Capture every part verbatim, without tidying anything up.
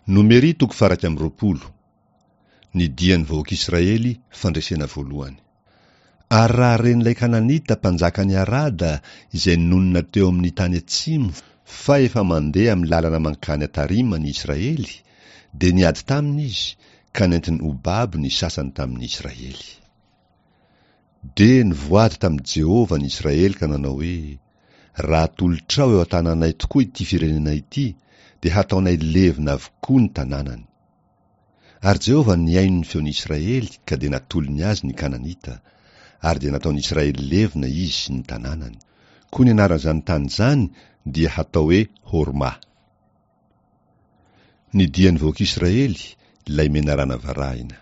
Nomery toko faha-iraika amby roapolo. Ny dian'ny vahoak'Israely fandresena voalohany. Ary raha ren'ilay Kananita mpanjakan'i Arada izay nonina teo amin'ny tany atsimo fa efa mandeha amin'ny lalana mankany Atarima ny Israely, dia niady taminy izy ka nentiny ho babo ny sasany tamin'ny Israely. Dia nivoady tamin'i Jehovah ny Israely ka nanao hoe, Raha atolotrao eo an-tananay tokoa ity firenena ity, dia hataonay levona avokoa ny tanànany. Ary Jehovah nihaino ny feon'ny Israely ka dia natolony azy ny Kananita, ary dia nataon'ny Israely levona izy sy ny tanànany. Koa ny anaran'izany tany izany dia hatao hoe Horma. Ny dian'ny vahoak'Israely, ilay menarana varahina.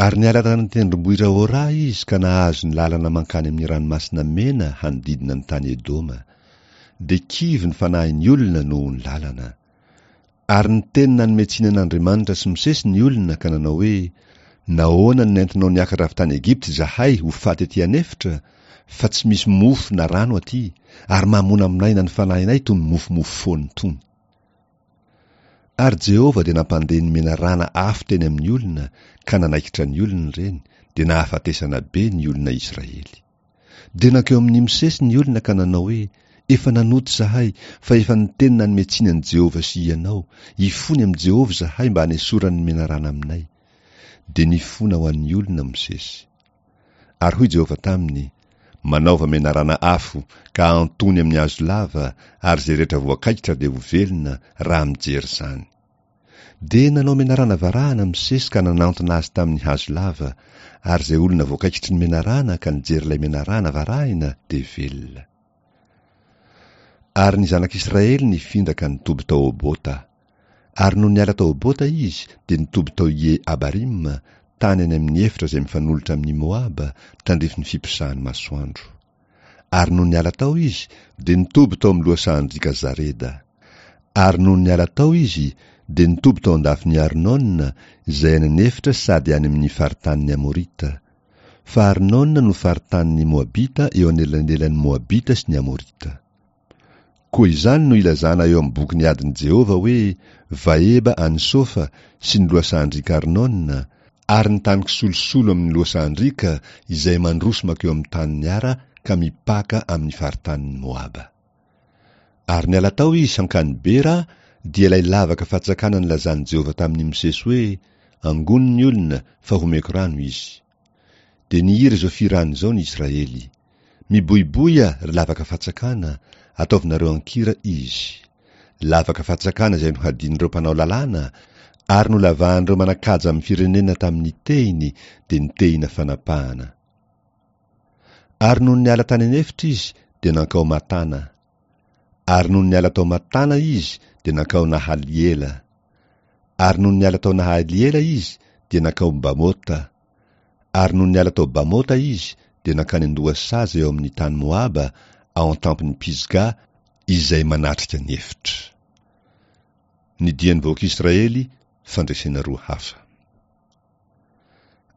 Ary niala tany an-tendrombohitra Hora izy ka nahazo ny lalana mankany amin'ny Ranomasina Mena hanodidina ny tany Edoma. Dia kivy ny fanahin'ny olona noho ny lalana. Ary niteny nanome tsiny an'Andriamanitra sy Mosesy ny olona ka nanao hoe, Nahoana no nentinao niakatra avy tany Egypta izahay ho faty aty an'efitra, fa tsy misy mofo na rano aty, ary mahamonamonaina ny fanahinay itony mofomofo foana itony. Ary Jehovah dia nampandeha ny menarana afo teny amin'ny olona, ka nanaikitra ny olona ireny, dia nahafatesana be ny olona Israely. Dia nankeo amin'i Mosesy ny olona ka nanao hoe, Efa nanota izahay, fa efa niteny nanome tsiny an'i Jehovah sy ianao, ifony amin'i Jehovah izahay mba hanesorany ny menarana aminay. Dia nifona ho an'ny olona Mosesy. Ary hoy Jehovah taminy, Manaova menarana afo, ka ahantony amin'ny hazo lava, ary izay rehetra voakaikitra dia ho velona, raha mijery izany. Dia nanao menarana varahana Mosesy ka nanantona azy tamin'ny hazo lava, ary izay olona voakaikitry ny menarana ka nijery ilay menarana varahina dia velona. Ary ny zanak'Israely nifindra ka nitoby tao Obota. Ary nony niala tao Obota izy, dia nitoby tao Ie-Abarima, tany any amin'ny efitra izay mifanolotra amin'i Moaba, tandrifin'ny fiposahan'ny masoandro. Ary nony niala tao izy, dia nitoby tao amin'ny lohasahan-driaka Zareda. Ary nony niala tao izy, dia nitoby tao an-dafin'i Arnona, izay any an'efitra sady any amin'ny faritanin'ny Amorita. Fa Arnona no faritanin'ny Moabita eo anelanelan'ny Moabita sy ny Amorita. Koa izany no ilazana eo amin'ny bokin'ny adin'i Jehovah hoe, Vaheba any Sofa sy ny lohasahan-driaka Arnona, ary ny tany kisolosolo amin'ny lohasahan-driaka izay mandroso mankeo amin'ny tanin'i Ara ka mipaka amin'ny faritanin'i Moaba. Ary niala tao izy hankany Bera, dia ilay lavaka fatsakana nilazan'i Jehovah tamin'i Mosesy hoe, Angony ny olona, fa homeko rano izy. Dia nihira izao fihirana izao ny Israely, Miboiboia, ry lavaka fatsakana, ataovinareo an-kira izy. Lavaka fatsakana izay nohadian'ireo mpanao lalàna, ary nolavahan'ireo manan-kaja amin'ny firenena tamin'ny tehiny, dia ny tehina fanapahana. Ary nony niala tany an'efitra izy, dia nankao Matana. Ary nony niala tao Matana izy, dia nankao Nahaliela. Ary nony niala tao Nahaliela izy, dia nankao Bamota. Ary nony niala tao Bamota izy, dia nankany an-dohasaha izay eo amin'ny tany Moaba, ao an-tampon'i Pisga, izay manatrika ny efitra. Ny dian'ny vahoak'Israely, fandresena roa hafa.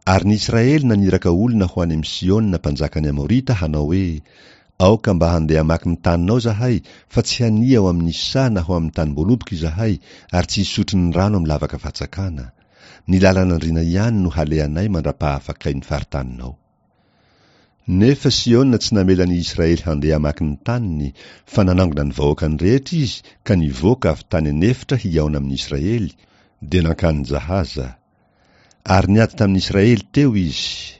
Ary ny Israely naniraka olona ho any amin'i Sihona mpanjakan'ny Amorita hanao hoe, Aoka mba handeha hamaky ny taninao izahay, fa tsy hania ao amin'ny saha na ho amin'ny tanim-boaloboka izahay, ary tsy hisotro ny rano amin'ny lavaka fatsakana. Ny lalan'andriana ihany no halehanay mandra-pahafakay ny faritaninao. Nefa Sihona tsy namela ny Israely handeha hamaky ny taniny, fa nanangona ny vahoakany rehetra izy ka nivoaka avy tany an'efitra hihaona amin'ny Israely, dia nankany Jahaza. Ary niady tamin'ny Israely teo izy.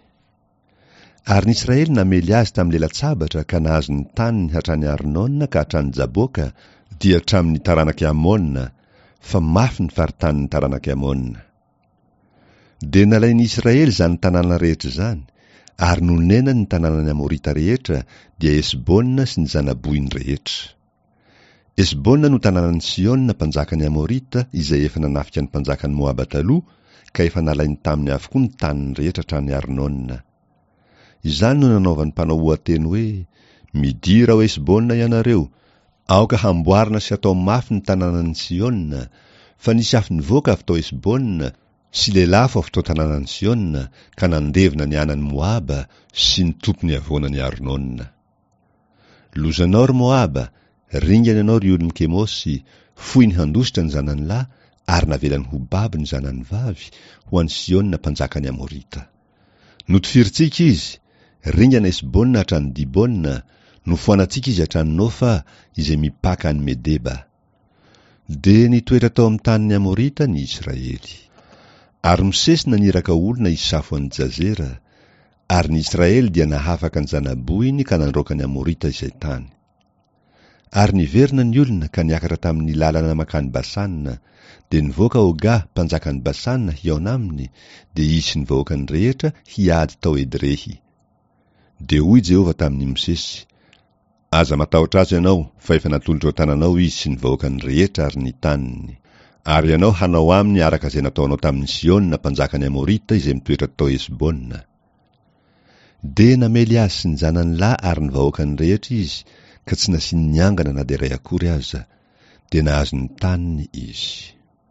Ary ny Israely namely azy tamin'ny lela-tsabatra ka nahazo ny taniny hatrany Arnona ka hatrany Jaboka, dia hatramin'ny taranak'i Amona, fa mafy ny faritanin'ny taranak'i Amona. Dia nalain'ny Israely izany tanàna rehetra izany, ary nonenany ny tanànan'ny Amorita rehetra, dia Hesbona sy ny zana-bohiny rehetra. Hesbona no tanànan'i Sihona mpanjakan'ny Amorita izay efa nanafika ny mpanjakan'i Moaba taloha, ka efa nalainy taminy avokoa ny taniny rehetra hatrany Arnona. Izany no nanaovan'ny mpanao oha-teny hoe, Midira ao Hesbona ianareo, aoka hamboarina sy hatao mafy ny tanànan'i Sihona, fa nisy afo nivoaka avy tao Hesbona sy lelafo avy tao tanànan'i Sihona ka nandevona ny anan'i Moaba sy ny tompon'ny havoanan'i Arnona. Lozanao, ry Moaba, ringana ianao, ry olon'i Kemosy, foiny handositra ny zanany lahy, ary navelany ho babo ny zanany vavy, ho an'i Sihona mpanjakan'ny Amorita. Notifirintsika izy, ringana Hesbona hatrany Dibona, nofoanantsika izy hatrany Nofa, izay mipaka any Medeba. Dia nitoetra tao amin'ny tanin'ny Amorita ny Israely. Ary Mosesy naniraka olona hisafo an'i Jazera, ary ny Israely dia nahafaka ny zana-bohiny ka nandroaka ny Amorita izay tany. Ary niverina ny olona ka niakatra tamin'ny lalana mankany Basana, dia nivoaka Oga mpanjakan'i Basana hihaona aminy, dia izy sy ny vahoakany rehetra hiady tao Edrehy. Dia hoy Jehovah tamin'i Mosesy, Aza matahotra azy ianao, fa efa natolotro an-tananao izy sy ny vahoakany rehetra ary ny taniny. Ary ianao hanao aminy araka izay nataonao tamin'i Sihona mpanjakan'ny Amorita izay mitoetra tao Hesbona. Dia namely azy sy ny zanany lahy ary ny vahoakany rehetra izy, ka tsy nasiany niangana na dia iray akory aza. Dia nahazo ny taniny izy.